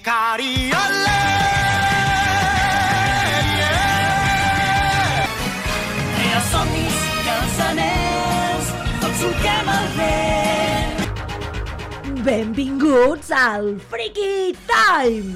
Cariole! Els somnis i els anells, tots solquem el vent. Benvinguts al Freaky Time!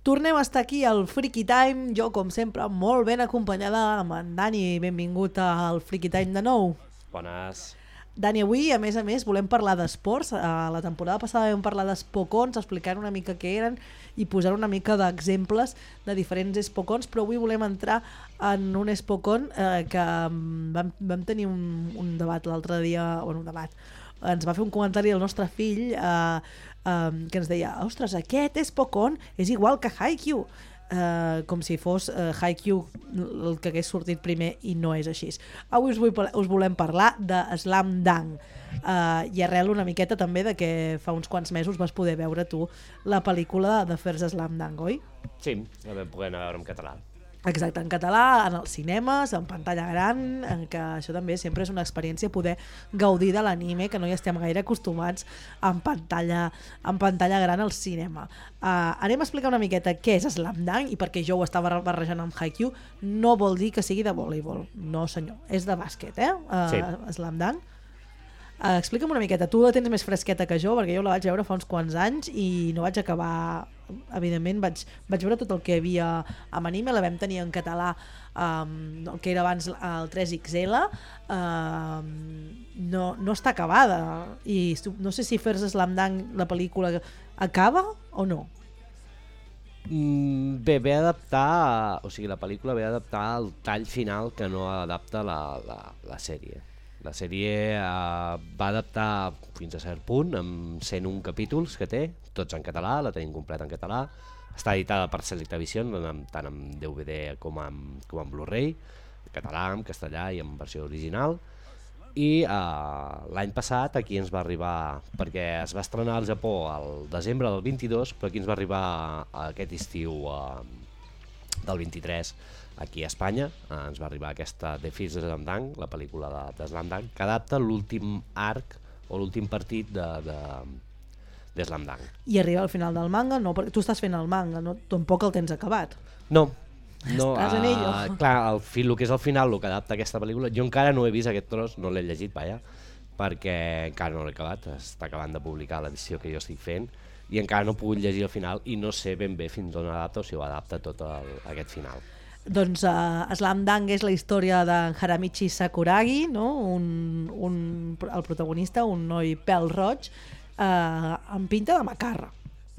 Tornem a estar aquí al Freaky Time, jo com sempre molt ben acompanyada amb en Dani. Benvingut al Freaky Time de nou. Bones. Dani, avui a més, volem parlar d'esports. La temporada passada vam parlar d'espocons, explicant una mica què eren i posar una mica d'exemples de diferents espocons, però avui volem entrar en un espocon que vam tenir un debat l'altre dia, bueno, un debat. Ens va fer un comentari el nostre fill que ens deia, ostres, aquest espocon és igual que Haikyuu. Com si fos Haikyuu el que hagués sortit primer, i no és així. Avui us volem parlar de Slam Dunk, i arrel una miqueta també de que fa uns quants mesos vas poder veure tu la pel·lícula de First Slam Dunk, oi? Sí, la vam poder anar a veure en català. Exacte, en català, en els cinemes, en pantalla gran, en què això també sempre és una experiència poder gaudir de l'anime, que no hi estem gaire acostumats en pantalla gran al cinema. Anem a explicar una miqueta què és Slam Dunk, i perquè jo ho estava barrejant amb Haikyuu, no vol dir que sigui de voleibol, no senyor, és de bàsquet, Sí. Slam Dunk. Explica'm una miqueta, tu la tens més fresqueta que jo, perquè jo la vaig veure fa uns quants anys i no vaig acabar, evidentment vaig veure tot el que hi havia amb anime, la vam tenir en català, el que era abans el 3XL, no està acabada, i no sé si First Slam Dunk, la pel·lícula, acaba o no? Bé, ve a adaptar, o sigui, la pel·lícula ve a adaptar el tall final que no adapta la sèrie. La sèrie va adaptar fins a cert punt, amb 101 capítols que té, tots en català, la tenim completa en català. Està editada per Selecta Vision, tant en DVD com en Blu-ray, en català, en castellà i en versió original. I l'any passat aquí ens va arribar, perquè es va estrenar al Japó el desembre del 22, però aquí ens va arribar aquest estiu del 23, aquí a Espanya. Ens va arribar aquesta The First Slam Dunk, la pel·lícula de Slam Dunk, que adapta l'últim arc o l'últim partit de Slam Dunk. I arriba al final del manga? No, perquè tu estàs fent el manga, no? Tampoc el tens acabat. No, Estàs en ello. clar, el que és el final, el que adapta aquesta pel·lícula, jo encara no he vist aquest tros, no l'he llegit, perquè encara no l'he acabat, està acabant de publicar l'edició que jo estic fent, i encara no he pogut llegir el final i no sé ben bé fins on adapta o si ho adapta tot aquest final. Doncs Slam Dunk és la història de Haramichi Sakuragi, no? El protagonista, un noi pèl-roig, amb pinta de macarra.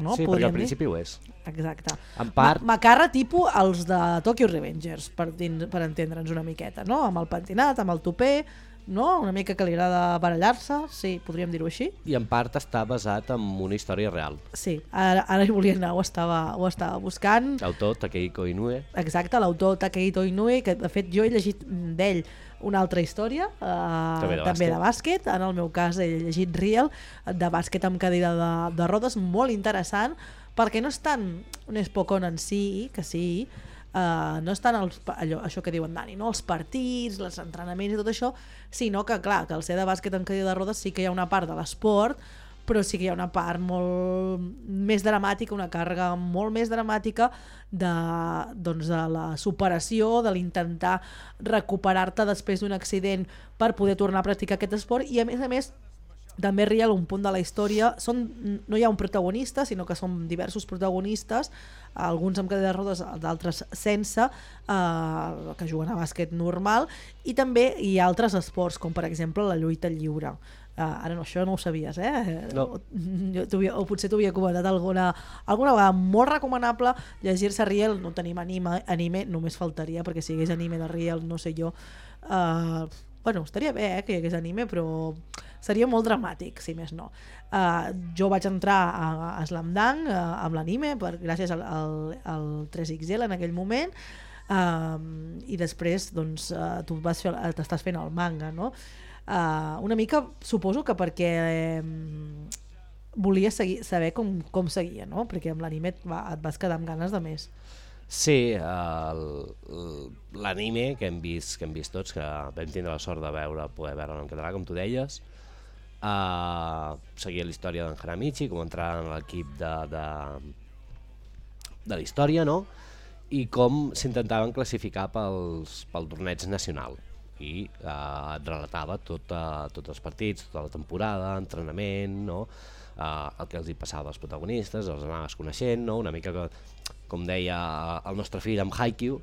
No? Sí, perquè al principi ho és. Exacte. En part... Macarra tipus els de Tokyo Revengers, per entendre'ns una miqueta, no? Amb el pentinat, amb el tupé, no? Una mica que li agrada barallar-se, sí, podríem dir-ho així. I en part està basat en una història real. Sí, ara hi volia anar, ho estava buscant. L'autor Takehiko Inoue. Exacte, l'autor Takehito Inoue, que de fet jo he llegit d'ell una altra història, també de bàsquet. En el meu cas he llegit Real, de bàsquet amb cadira de rodes, molt interessant, perquè no és tant un espocon en si, que sí, no és tant això que diuen Dani, no? Els partits, els entrenaments i tot això, sinó que clar, que al ser de bàsquet amb cadira de rodes sí que hi ha una part de l'esport, però sí que hi ha una part molt més dramàtica, una càrrega molt més dramàtica de la superació, de l'intentar recuperar-te després d'un accident per poder tornar a practicar aquest esport. I a més també Real, un punt de la història, no hi ha un protagonista, sinó que són diversos protagonistes, alguns amb cadira de rodes, d'altres sense, que juguen a bàsquet normal, i també hi ha altres esports, com per exemple la lluita lliure. Ara no, això no ho sabies, No. O potser t'ho havia comentat alguna vegada. Molt recomanable llegir-se Real. No tenim anime, només faltaria, perquè si hi hagués anime de Real, no sé jo, bueno, estaria bé que hi hagués anime, però seria molt dramàtic, si més no. Jo vaig entrar a Slam Dunk amb l'anime, gràcies al 3XL en aquell moment, i després doncs, tu t'estàs fent el manga, no? Una mica suposo que perquè volia saber com seguia, no? Perquè amb l'anime et vas quedar amb ganes de més. Sí, l'anime que hem vist tots, que vam tindre la sort de poder veure en català, com tu deies, seguia la història d'en Hanamichi, com entrar en l'equip de la història, no? I com s'intentaven classificar pel torneig nacional. I et relatava tots els partits, tota la temporada, entrenament, no? El que els hi passava als protagonistes, els anaves coneixent, no? Una mica com deia el nostre fill amb Haikyuu,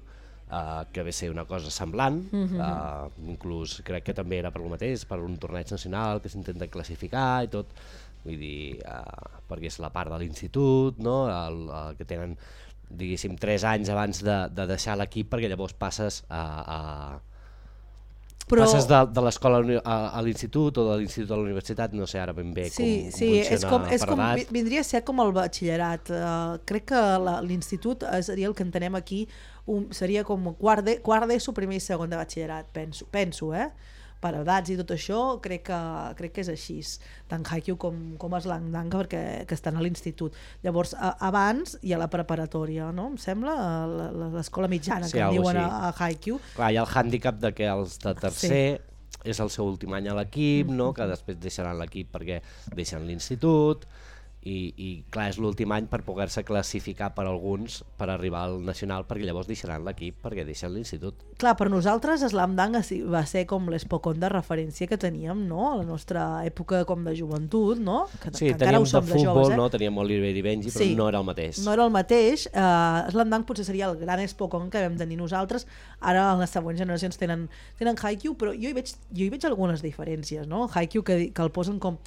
que ve ser una cosa semblant, inclús crec que també era per lo mateix, per un torneig nacional que s'intenta classificar i tot, vull dir, perquè és la part de l'institut, no? Que tenen, diguéssim, 3 anys abans de deixar l'equip, perquè llavors passes passes de l'escola a l'institut o de l'institut a la universitat, no sé ara ben bé com funciona per edat. Vindria a ser com el batxillerat. Crec que l'institut seria el que entenem aquí, seria com quart d'ESO, primer i segon de batxillerat, penso, per edats i tot això, crec que és així, tant Haikyuu com Slamdunk, que estan a l'institut. Llavors, abans hi ha la preparatòria, no? Em sembla, l'escola mitjana, que en diuen a Haikyuu. Clar, hi ha el hàndicap de que els de tercer és el seu últim any a l'equip, no? Que després deixaran l'equip perquè deixen l'institut, i clar, és l'últim any per poder-se classificar per alguns per arribar al nacional, perquè llavors deixaran l'equip perquè deixen l'institut. Clar, per nosaltres Slamdunk va ser com l'Espocon de referència que teníem, no? A la nostra època com de joventut, no? Sí, teníem de futbol, no? Teníem Oliver i Benji, però no era el mateix. No era el mateix. Slamdunk potser seria el gran Espocon que vam tenir nosaltres. Ara les següents generacions tenen Haikyuu, però jo hi veig algunes diferències, no? Haikyuu que el posen com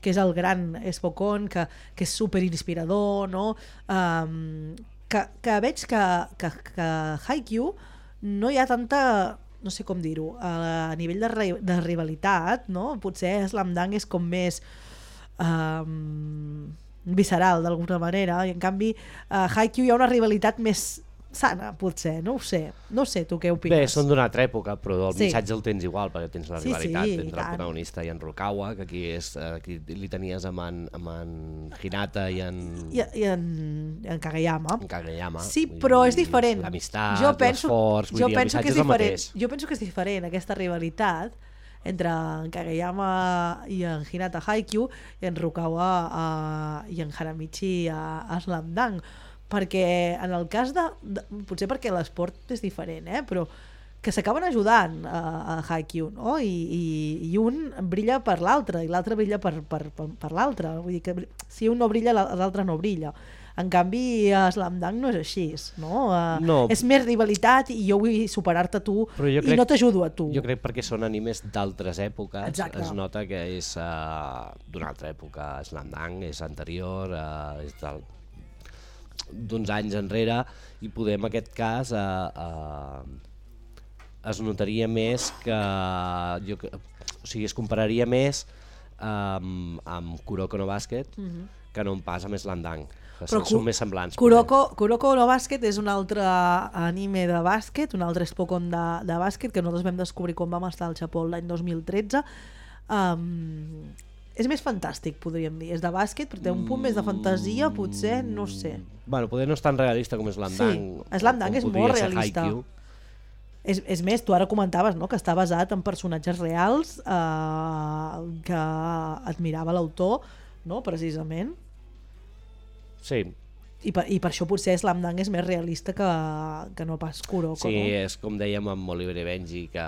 que és el gran Espocon, que és superinspirador, no? Que veig que Haikyuu no hi ha tanta, no sé com dir-ho, a nivell de rivalitat, no? Potser Slamdunk és com més visceral d'alguna manera, i en canvi Haikyuu hi ha una rivalitat més sana, potser, no ho sé, tu què opines? Bé, són d'una altra època, però el missatge el tens igual, perquè tens la rivalitat entre el protagonista i en Rukawa, que aquí li tenies amb en Hinata i en Kageyama. Sí, vull però dir, és diferent. L'amistat, l'esforç, vull dir, el missatge és el mateix. Jo penso que és diferent aquesta rivalitat entre en Kageyama i en Hinata Haikyuu i en Rukawa i en Hanamichi a Slamdunk, perquè en el cas potser perquè l'esport és diferent, però que s'acaben ajudant a Haikyuu, no? I un brilla per l'altre i l'altre brilla per l'altre, vull dir que si un no brilla l'altre no brilla. En canvi a Slamdunk no és així, no? És més rivalitat i jo vull superar-te a tu i no t'ajudo a tu. Jo crec perquè són animes d'altres èpoques. Exacte. Es nota que és d'una altra època. Slamdunk és anterior, és d'uns anys enrere, i poder en aquest cas es notaria més que es compararia més amb Kuroko no Basket que no pas amb Slamdunk, que són més semblants. Kuroko no Basket és un altre anime de bàsquet, un altre Spokon de bàsquet que nosaltres vam descobrir quan vam estar al Japó l'any 2013. És més fantàstic, podríem dir. És de bàsquet, però té un punt més de fantasia, potser, no sé. Bueno, potser no és tan realista com Slamdunk. Sí, Slamdunk és molt realista. És més, tu ara comentaves, no?, que està basat en personatges reals que admirava l'autor, no?, precisament. Sí. I per això potser Slamdunk és més realista que no pas Kuroko. Sí, no? És com dèiem amb Oliver i Benji, que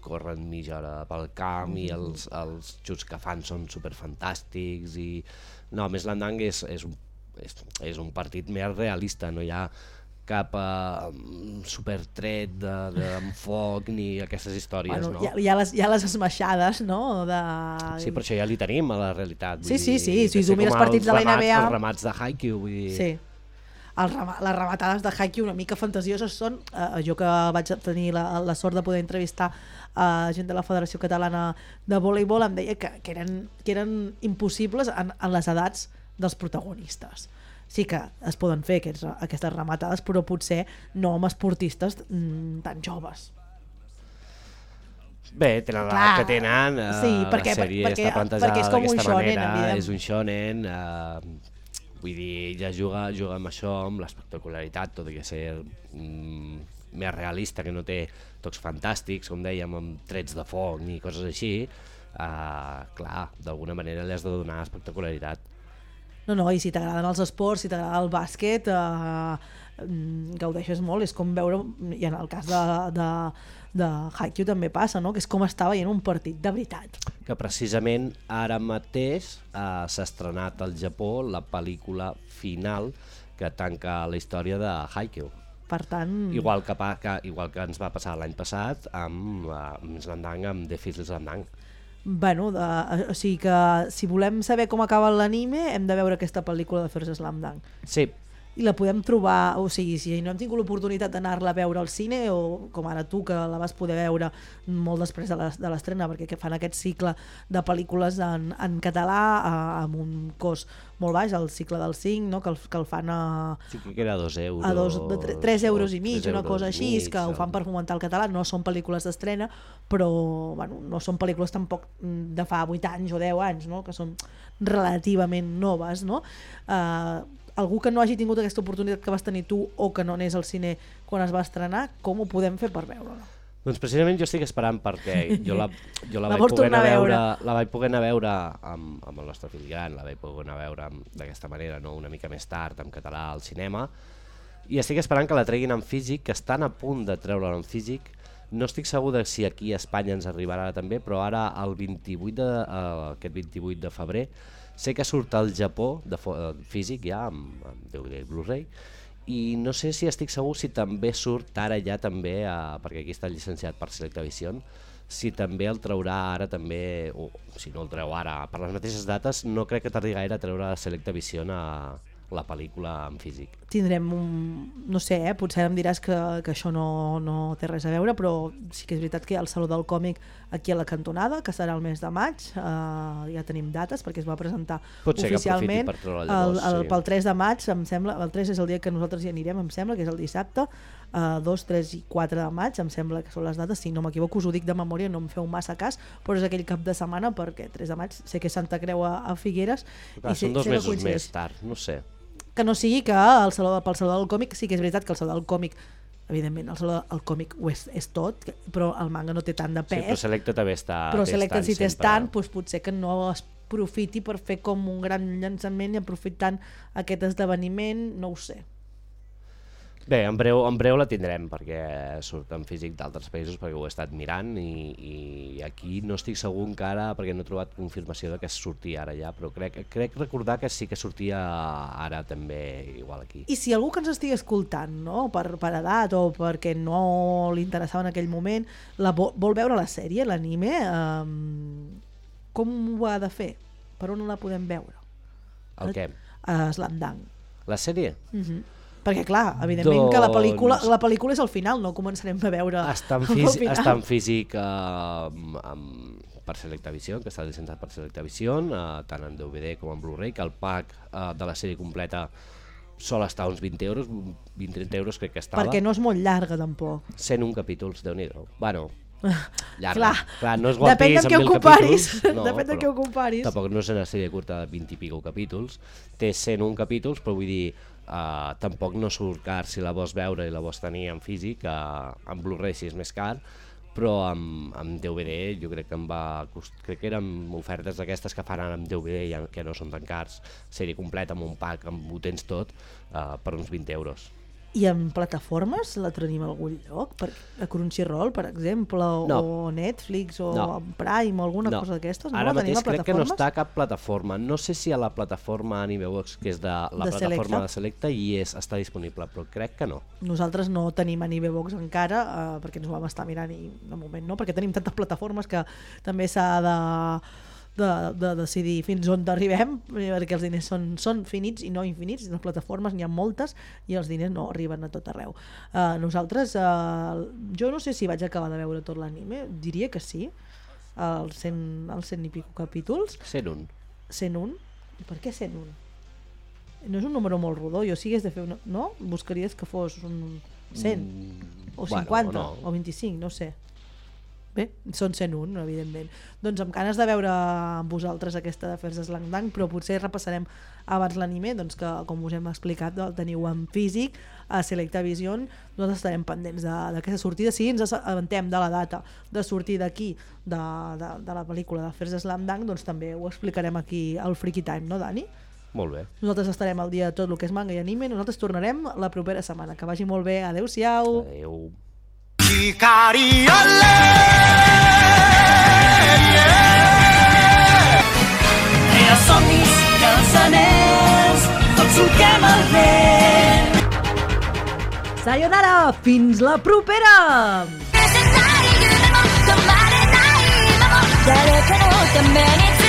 corren mitja hora pel camp i els xuts que fan són superfantàstics. No, més Slamdunk és un partit més realista, no hi ha cap supertret d'enfoc ni aquestes històries. Bueno, no? Hi ha les esmaixades, no? Sí, per això ja li tenim a la realitat. Sí, si tu mires partits de la NBA... Els remats de Haikyuu, vull dir... Sí, les rematades de Haikyuu una mica fantasioses són... Jo que vaig tenir la sort de poder entrevistar gent de la Federació Catalana de Voleibol, em deia que eren impossibles en les edats dels protagonistes. Sí que es poden fer aquestes rematades, però potser no amb esportistes tan joves. Bé, tenen l'edat que tenen, la sèrie està plantejada d'aquesta manera, és un shonen, vull dir, ja juga amb això, amb l'espectacularitat, tot i que ser més realista, que no té tocs fantàstics, com dèiem, amb trets de foc ni coses així, clar, d'alguna manera li has de donar espectacularitat. No, i si t'agraden els esports, si t'agrada el bàsquet, gaudeixes molt. És com veure, i en el cas de Haikyuu també passa, no? Que és com estar veient un partit de veritat. Que precisament ara mateix s'ha estrenat al Japó la pel·lícula final que tanca la història de Haikyuu. Per tant... Igual que ens va passar l'any passat amb Slamdang, amb The Fist Slamdang. Bueno, o sigui que si volem saber com acaba l'anime hem de veure aquesta pel·lícula de First Slam Dunk. Sí. I la podem trobar, o sigui, si no hem tingut l'oportunitat d'anar-la a veure al cine, o com ara tu, que la vas poder veure molt després de l'estrena, perquè fan aquest cicle de pel·lícules en català amb un cost molt baix, el cicle del 5, no? que el fan a... Sí, que era 2 euros. A 3 euros i mig, una cosa així, que ho fan per fomentar el català. No són pel·lícules d'estrena, però bueno, no són pel·lícules tampoc de fa 8 anys o 10 anys, no? Que són relativament noves, no? Algú que no hagi tingut aquesta oportunitat que vas tenir tu o que no anés al cine quan es va estrenar, com ho podem fer per veure-la? Doncs precisament jo estic esperant perquè jo la vaig poder anar a veure amb el nostre fill gran, la vaig poder anar a veure d'aquesta manera, no? Una mica més tard en català al cinema, i estic esperant que la treguin en físic, que estan a punt de treure-la en físic. No estic segur de si aquí a Espanya ens arribarà també, però ara aquest 28 de febrer sé que surt al Japó físic ja amb DVD i Blu-ray, i no sé si estic segur si també surt ara ja també, perquè aquí està llicenciat per Selectavision, si també el traurà ara també, o si no el treu ara per les mateixes dates. No crec que tardi gaire a treure Selectavision la pel·lícula en físic. Tindrem no sé, potser em diràs que això no té res a veure, però sí que és veritat que hi ha el Saló del Còmic aquí a la cantonada, que serà el mes de maig, ja tenim dates perquè es va presentar oficialment pel 3 de maig, em sembla. El 3 és el dia que nosaltres hi anirem, em sembla, que és el dissabte. 2, 3 i 4 de maig, em sembla que són les dates, si no m'equivoco, us ho dic de memòria, no em feu massa cas, però és aquell cap de setmana, perquè 3 de maig sé que és Santa Creu a Figueres. Clar, són 2 mesos més tard, no sé. Que no sigui que pel Saló del Còmic, sí que és veritat que el Saló del Còmic, evidentment el Saló del Còmic ho és tot, però el manga no té tant de pes. Sí, però Selecta també està... Però Selecta si té tant, doncs potser que no es profiti per fer com un gran llançament i aprofitant aquest esdeveniment, no ho sé. Bé, en breu la tindrem, perquè surt en físic d'altres països, perquè ho he estat mirant, i aquí no estic segur encara, perquè no he trobat confirmació de que sortia ara ja, però crec recordar que sí que sortia ara també, igual aquí. I si algú que ens estigui escoltant, no? per edat o perquè no li interessava en aquell moment, vol veure la sèrie, l'anime, com ho ha de fer? Per on la podem veure? El què? Slam Dunk. La sèrie? Perquè clar, evidentment que la pel·lícula és al final, no començarem a veure està en físic per Selectavision, que està llicenciat per Selectavision, tant en DVD com en Blu-ray, que el pack de la sèrie completa sol estar uns 20 euros, 20-30 euros crec que estava. Perquè no és molt llarga tampoc. 101 capítols, Déu-n'hi-do. Bueno, llarga. Clar, no és One depèn Piece amb 1000 capítols. Depèn de què ho comparis. Tampoc no és una sèrie curta de 20 i pico capítols. Té 101 capítols, però vull dir, tampoc no surt car si la vols veure i la vols tenir en físic. En Blu-ray sí és més car, però amb DVD jo crec que eren ofertes d'aquestes que fan ara amb DVD, que no són tan cars, sèrie completa amb un pack, ho tens tot, per uns 20 euros. I en plataformes la tenim a algun lloc? A Crunchyroll, per exemple, o Netflix, o Prime, o alguna cosa d'aquestes? Ara mateix crec que no està a cap plataforma. No sé si a la plataforma Animebox, que és de la plataforma de Selecta, està disponible, però crec que no. Nosaltres no tenim Animebox encara, perquè ens ho vam estar mirant i de moment no, perquè tenim tantes plataformes que també s'ha de decidir fins on arribem, perquè els diners són finits i no infinits, les plataformes n'hi ha moltes i els diners no arriben a tot arreu. Nosaltres, jo no sé si vaig acabar de veure tot l'anime, diria que sí, els 100 i pico capítols. 101. 101? I per què 101? No és un número molt rodó, jo si hagués de fer no? Buscaries que fos un 100 o 50 o 25, no sé. bé, són 101, evidentment. Doncs amb ganes de veure amb vosaltres aquesta d'Afers de Slang Dang, però potser repassarem abans l'anime, doncs que, com us hem explicat, el teniu en físic a Selecta Vision. Nosaltres estarem pendents d'aquesta sortida. Si ens assabentem de la data de sortir d'aquí de la pel·lícula d'Afers de Slang Dang, doncs també ho explicarem aquí al Freaky Time, no, Dani? Molt bé. Nosaltres estarem al dia de tot el que és manga i anime. Nosaltres tornarem la propera setmana. Que vagi molt bé. Adéu-siau. Adéu. Crea somnis i els anells, tots solquem el vent. Sayonara! Fins la propera! 誰かのために